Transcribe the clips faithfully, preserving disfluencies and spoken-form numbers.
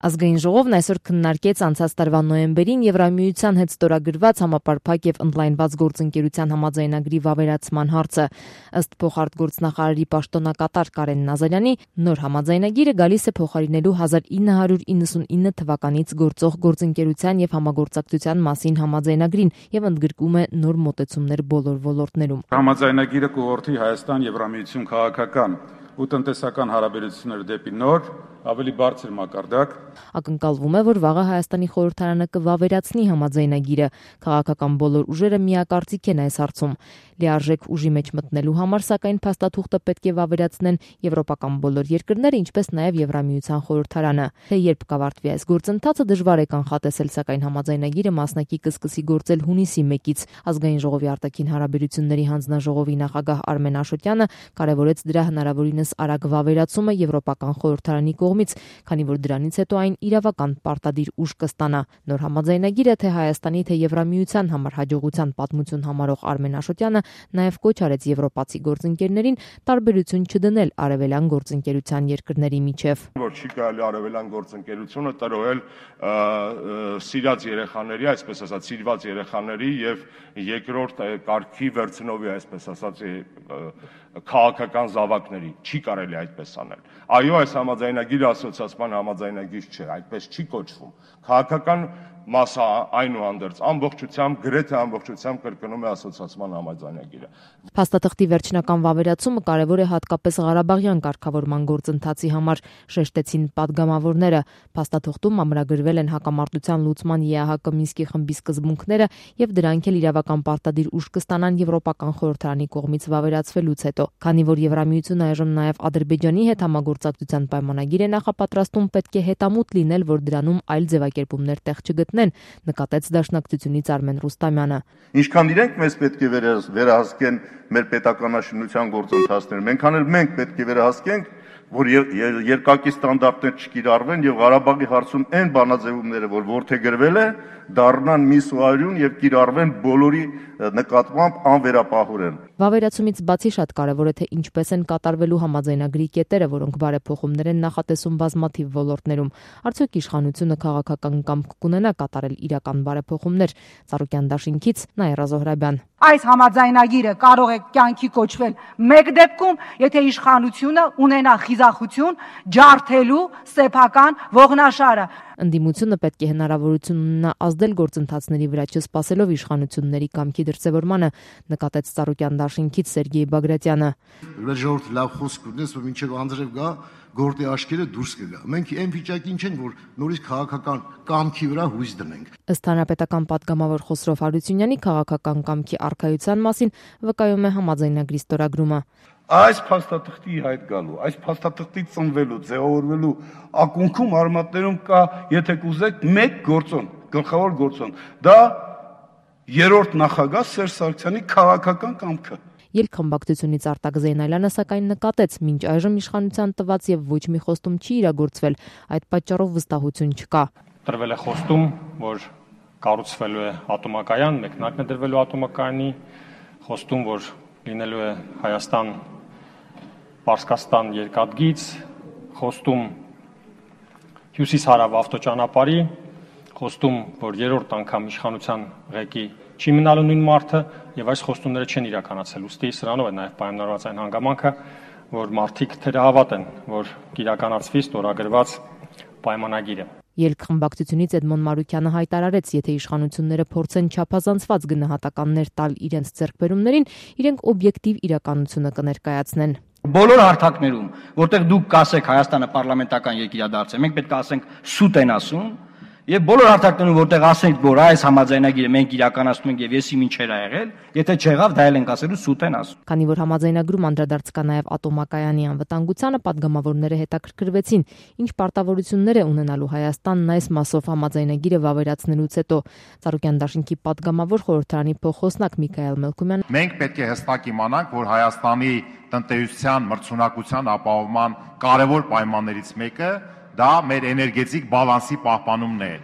Ազգային ժողովն այսօր քննարկեց անցած տարվա նոյեմբերին Եվրամիության հետ ստորագրված համապարփակ եւ ընդլայնված գործընկերության համաձայնագրի վավերացման հարցը։ Ըստ փոխարտգործնախարարի պաշտոնակատար Կարեն Նազարյանի, նոր համաձայնագիրը գալիս է փոխարինելու հազար ինը հարյուր իննսունինը թվականից գործող գործընկերության եւ համագործակցության մասին համաձայնագրին եւ ընդգրկում է նոր մոտեցումներ բոլոր ոլորտներում։ Համաձայնագիրը կուղղորդի Հայաստան Եվրամիություն քաղաքական ու տնտեսական հարաբերությունները դեպի նոր, ավելի բարձր մակարդակ։ Ակնկալվում է, որ վաղը Հայաստանի խորհրդարանը կվավերացնի համաձայնագիրը։ Քաղաքական բոլոր ուժերը միակարծիք են այս հարցում։ Լիարժեք ուժի մեջ մտնելու համար, սակայն, փաստաթուղթը պետք է վավերացնեն եվրոպական բոլոր երկրները, ինչպես նաև Եվրամիության խորհրդարանը։ Թե երբ կավարտվի այս գործընթացը, դժվար է կանխատեսել, սակայն համաձայնագիրը մասնակի կսկսի գործել հունիսի մեկից։ Ազգային ժողովի արտաքին հարաբերությունների հանձնաժողովի նախագահ Արմեն Աշոտյանը կարևորեց դրա հնարավորինս արագ վավերացումը Եվրոպական խորհրդարանի կողմից, քանի որ դրանից հետո այն իրավական պարտադիր ուժ կստանա։ Նոր համաձայնագիրը թե Հայաստանի, թե Եվրամիության համար հաջողության պատմություն համարող Արմեն Աշոտյանը նաև կոչ արեց եվրոպացի գործընկերներին տարբերություն չդնել արևելյան գործընկերության երկրների միջև։ Որ չի կարելի արևելյան գործընկերությունը տրոհել սիրած երեխաների, այսպես ասած, սիրված երեխաների եւ երկրորդ կարգի վերցնովի, այսպես ասած, քաղաքական զավակների, չի կարելի այդպես անել։ Այո, այս համաձայնագիրը ասոցիացման համաձայնագիր չէ, այդպես չի կոչվում։ Քաղաքական մասը այնուհանդերձ ամբողջությամբ, գրեթե ամբողջությամբ կրկնում է ասոցիացման համաձայնագիրը։ Փաստաթղթի վերջնական վավերացումը կարևոր է հատկապես Ղարաբաղյան կարգավորման գործընթացի համար, շեշտեցին պատգամավորները։ Փաստաթղթում ամրագրվել են հակամարտության լուծման ԵԱՀԿ Մինսկի խմբի սկզբունքները եւ դրանք էլ իրավական պարտադիր ուժ կստանան Եվրոպական խորհրդարանի կողմից վավերացվելուց հետո։ Քանի որ Եվրամիությունը այժմ նաև Ադրբեջանի հետ համագործակցության պայմանագիր է նախապատրաստում, պետք է հետամուտ լինել, որ դրանում այլ ձևակերպումներ տեղ չգտնեն, նկատեց Դաշնակցությունից Արմեն Ռուստամյանը։ Ինչքան իրենք մեզ պետք է վերահսկեն մեր պետականաշինության գործընթացները, մենքան էլ մենք պետք է վերահսկենք, որ երկակի ստանդարտներ չկիրառվեն եւ Ղարաբաղի հարցում այն բանաձևումները, որ որդեգրվել է, դառնան միսուարյուն եւ կիրառվեն բոլորի նկատմամբ անվերապահորեն։ Վավերացումից բացի շատ կարևոր է թե ինչպես են կատարվելու համաձայնագրի կետերը, որոնք բարեփոխումներ են նախատեսում բազմաթիվ ոլորտներում։ Արդյոք իշխանությունը քաղաքական կամք կունենա կատարել իրական բարեփոխումներ։ Ծառուկյան դաշինքից Նաիրա Զոհրաբյան։ Այս համաձայնագիրը կարող է կյանքի կոչվել մեկ դեպքում, եթե իշխանությունը ունենա խիզախություն ջարդելու սեփական ողնաշարը։ Ընդդիմությունը պետք է հնարավորություն ունենա ազդել գործընթացների վրա, չսպասելով իշխանությունների կամքի դրսևորմանը, նկատեց Ծառուկյան դաշինքից Սերգեյ Բագրատյանը։ Ժողովուրդ լավ խոսք ունես, որ մինչև անձրև գա գործի աչքերը դուրս կգա։ Մենք այն վիճակին չենք, որ նորից քաղաքական կամքի վրա հույս դնենք։ Ըստ հանրապետական պատգամավոր Խոսրով Հարությունյանի, քաղաքական կամքի առկայության մասին վկայում է համաձայնագրի ստորագրումը։ Այս փաստաթղթի հայտ գալու, այս փաստաթղթի ծնվելու, ձևավորվելու ակունքում արմատներում կա, եթե կուզեք, մեկ գործոն, գլխավոր գործոն։ Դա երրորդ նախագահ Սերժ Սարգսյանի քաղաքական կամքը։ Ելքխմբակցությունից Արտակ Զեյնալյանը սակայն նկատեց, մինչ այժմ իշխանության տված եւ ոչ մի խոստում չի իրագործվել, այդ պատճառով վստահություն չկա։ Տրվել է խոստում, որ կառուցվելու է ատոմակայան, մեկնարկն է դրվելու ատոմակայանի, խոստում, որ լինելու է Հայաստան Պարսկաստան երկաթգիծ, խոստում հյուսիս-հարավ ավտոճանապարհի, խոստում, որ երրորդ անգամ իշխանության ղեկի չի մնալու նույն մարդը եւ այս խոստումները չեն իրականացել։ Ուստի սրանով է նաեւ պայմանավորված այն հանգամանքը, որ մարդիկ թերահավատ են, որ կիրականացվի ստորագրված պայմանագիրը։ Ելքխմբակցությունից Էդմոն Մարուկյանը հայտարարեց, եթե իշխանությունները փորձեն չափազանցված գնահատականներ տալ իրենց ձեռքբերումներին, իրենք օբյեկտիվ իրականությունը կներկայացնեն։ Բոլոր հարթակներում, որտեղ դուք կասեք Հայաստանը պարլամենտական երկիրադարձ է, մենք պետք է ասենք սուտ են ասում, եւ բոլոր հարթակներում, որտեղ ասենք, որ այս համաձայնագիրը մենք իրականացնում ենք եւ եսի ինչեր ա եղել, եթե չեղավ, դա էլ ենք ասելու սուտ են ասում։ Քանի որ համաձայնագրում անդրադարձ կա նաեւ ատոմակայանի անվտանգությանը, պատգամավորները հետաքրքրվեցին, ինչ պարտավորություններ է ունենալու Հայաստանն այս մասով համաձայնագիրը վավերացնելուց հետո։ Ծառուկյան դաշինքի պատգամավոր խորհրդարանի փոխոսնակ Միքայել Մելքումյան։ Մենք պետք է հստակ իմանանք, որ Հայաստանի տնտեսության մրցունակության ապահովման կարևոր պայմաններից մեկը դա մեր էներգետիկ բալանսի պահպանումն է։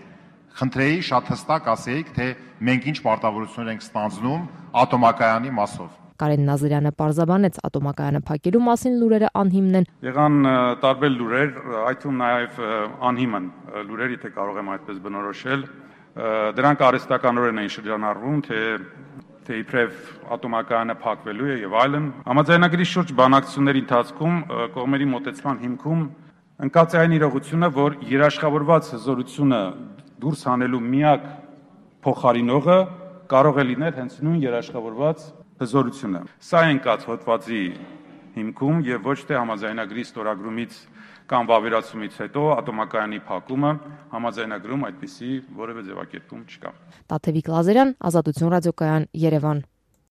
Խնդրեի շատ հստակ ասեիք, թե մենք ինչ պարտավորություններ ենք ստանձնում ատոմակայանի մասով։ Կարեն Նազարյանը պարզաբանեց ատոմակայանը փակելու մասին լուրերը անհիմն են։ Եղան տարբեր լուրեր, այդ թվում նաև անհիմն լուրեր, եթե կարող եմ այդպես բնորոշել, դրանք արհեստականորեն էին շրջանառվում, թե թե իբրև ատոմակայանը փակվելու է եւ այլն։ Համաձայնագրի շուրջ բանակցությունների ընթացքում կողմերի մոտեցման հիմքում ընկած է այն իրողությունը, որ երաշխավորված հզորությունը դուրս հանելու միակ փոխարինողը կարող է լինել հենց նույն երաշխավորված հզորությունը։ Սա է ընկած հոդվածի հիմքում եւ ոչ թե համաձայնագրի ստորագրումից կամ վավերացումից հետո ատոմակայանի փակումը համաձայնագրում այդպիսի որևէ ձևակերպում չկա։ Տաթևիկ Լազարյան, Ազատություն ռադիոկայան, Երևան։